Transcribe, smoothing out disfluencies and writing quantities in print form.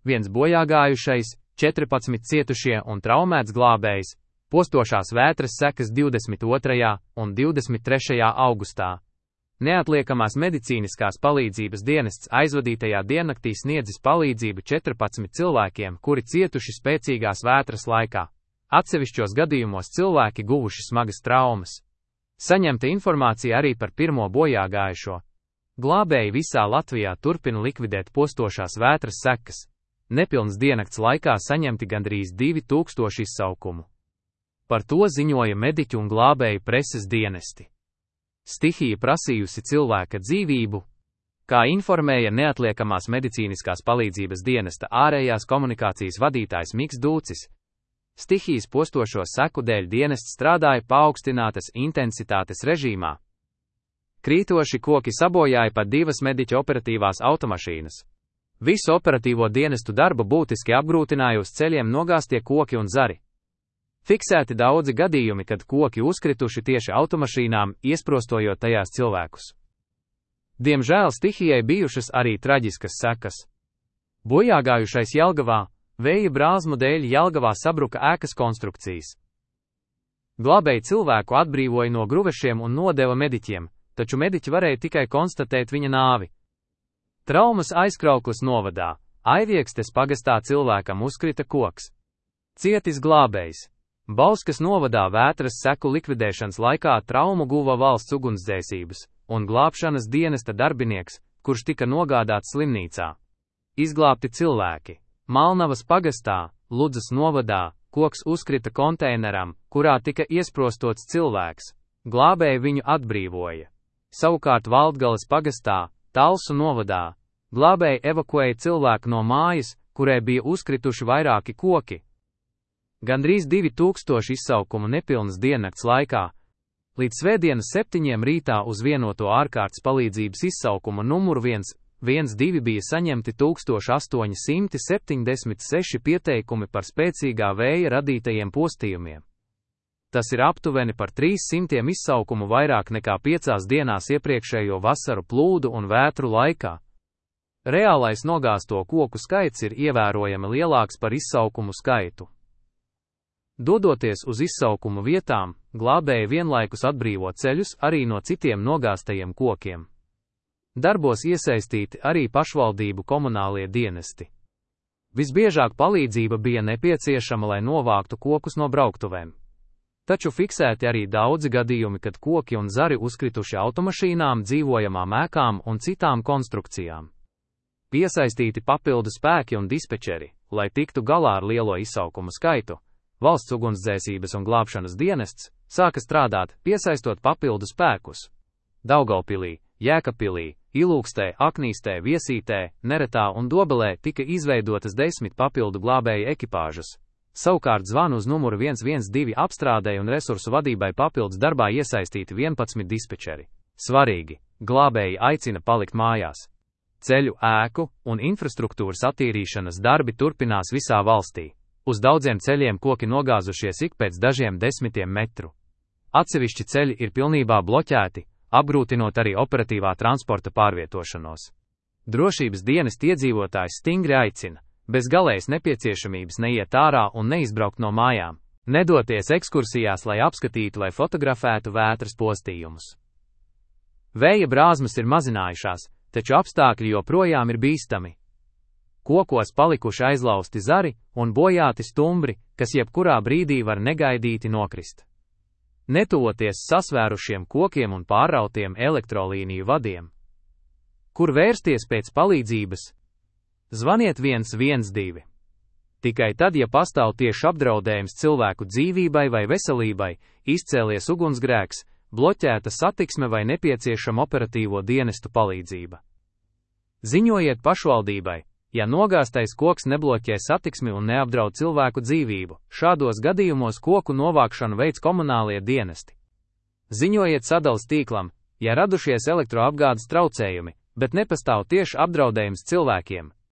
1 bojāgājušais, 14 cietušie un traumēts glābējs, postošās vētras sekas 22. un 23. augustā. Neatliekamās medicīniskās palīdzības dienests aizvadītajā diennaktī sniedzis palīdzību 14 cilvēkiem, kuri cietuši spēcīgās vētras laikā. Atsevišķos gadījumos cilvēki guvuši smagas traumas. Saņemta informācija arī par 1. bojāgājušo. Glābēji visā Latvijā turpina likvidēt postošās vētras sekas. Nepilnas diennakts laikā saņemti gandrīz 2000 izsaukumu. Par to ziņoja mediķu un glābēju preses dienesti. Stihija prasījusi cilvēka dzīvību, kā informēja neatliekamās medicīniskās palīdzības dienesta ārējās komunikācijas vadītājs Miks Dūcis. Stihijas postošo seku dēļ dienests strādāja paaugstinātas intensitātes režīmā. Krītoši koki sabojāja pat 2 mediķa operatīvās automašīnas. Visu operatīvo dienestu darbu būtiski apgrūtināja uz ceļiem nogāztie koki un zari. Fiksēti daudzi gadījumi, kad koki uzkrituši tieši automašīnām, iesprostojot tajās cilvēkus. Diemžēl stihijai bijušas arī traģiskas sekas. Bojāgājušais Jelgavā, vēja brāzmu dēļ Jelgavā sabruka ēkas konstrukcijas. Glābēji cilvēku atbrīvoja no gruvešiem un nodeva mediķiem, taču mediķi varēja tikai konstatēt viņa nāvi. Traumas Aizkraukles novadā, Aiviekstes pagastā cilvēkam uzkrita koks. Cietis glābējs. Bauskas novadā vētras seku likvidēšanas laikā traumu guva valsts ugunsdzēsības un glābšanas dienesta darbinieks, kurš tika nogādāts slimnīcā. Izglābti cilvēki. Malnavas pagastā, Ludzas novadā, koks uzkrita konteineram, kurā tika iesprostots cilvēks. Glābēji viņu atbrīvoja. Savukārt Valdgales pagastā, Talsu novadā, glābēji evakuēja cilvēku no mājas, kurai bija uzkrituši vairāki koki. Gandrīz 2000 izsaukumu nepilnas diennakts laikā. Līdz svētdienas 7 rītā uz vienoto ārkārtas palīdzības izsaukumu numuru 112 bija saņemti 1876 pieteikumi par spēcīgā vēja radītajiem postījumiem. Tas ir aptuveni par 300 izsaukumu vairāk nekā 5 dienās iepriekšējo vasaru plūdu un vētru laikā. Reālais nogāzto koku skaits ir ievērojami lielāks par izsaukumu skaitu. Dodoties uz izsaukumu vietām, glābēji vienlaikus atbrīvo ceļus arī no citiem nogāztajiem kokiem. Darbos iesaistīti arī pašvaldību komunālie dienesti. Visbiežāk palīdzība bija nepieciešama, lai novāktu kokus no brauktuvēm. Taču fiksēti arī daudzi gadījumi, kad koki un zari uzkrituši automašīnām, dzīvojamām ēkām un citām konstrukcijām. Piesaistīti papildu spēki un dispečeri, lai tiktu galā ar lielo izsaukumu skaitu. Valsts ugunsdzēsības un glābšanas dienests sāka strādāt, piesaistot papildu spēkus. Daugavpilī, Jēkabpilī, Ilūkstē, Aknīstē, Viesītē, Neretā un Dobelē tika izveidotas 10 papildu glābēju ekipāžas. Savukārt zvanu uz numuru 112 apstrādei un resursu vadībai papildus darbā iesaistīti 11 dispečeri. Svarīgi, glābēji aicina palikt mājās. Ceļu, ēku un infrastruktūras attīrīšanas darbi turpinās visā valstī. Uz daudziem ceļiem koki nogāzušies ik pēc dažiem desmitiem metru. Atsevišķi ceļi ir pilnībā bloķēti, apgrūtinot arī operatīvā transporta pārvietošanos. Drošības dienesti iedzīvotājs stingri aicina, bez galējas nepieciešamības neiet ārā un neizbraukt no mājām, nedoties ekskursijās, lai apskatītu vai fotografētu vētras postījumus. Vēja brāzmas ir mazinājušās, taču apstākļi joprojām ir bīstami. Kokos palikuši aizlausti zari un bojāti stumbri, kas jebkurā brīdī var negaidīti nokrist. Netuvoties sasvērušiem kokiem un pārrautiem elektrolīniju vadiem. Kur vērsties pēc palīdzības? Zvaniet 112. Tikai tad, ja pastāv tieši apdraudējums cilvēku dzīvībai vai veselībai, izcēlies ugunsgrēks, bloķēta satiksme vai nepieciešama operatīvo dienestu palīdzība. Ziņojiet pašvaldībai, ja nogāztais koks nebloķē satiksmi un neapdraud cilvēku dzīvību. Šādos gadījumos koku novākšanu veids komunālie dienesti. Ziņojiet sadales tīklam, ja radušies elektroapgādes traucējumi, bet nepastāv tieši apdraudējums cilvēkiem.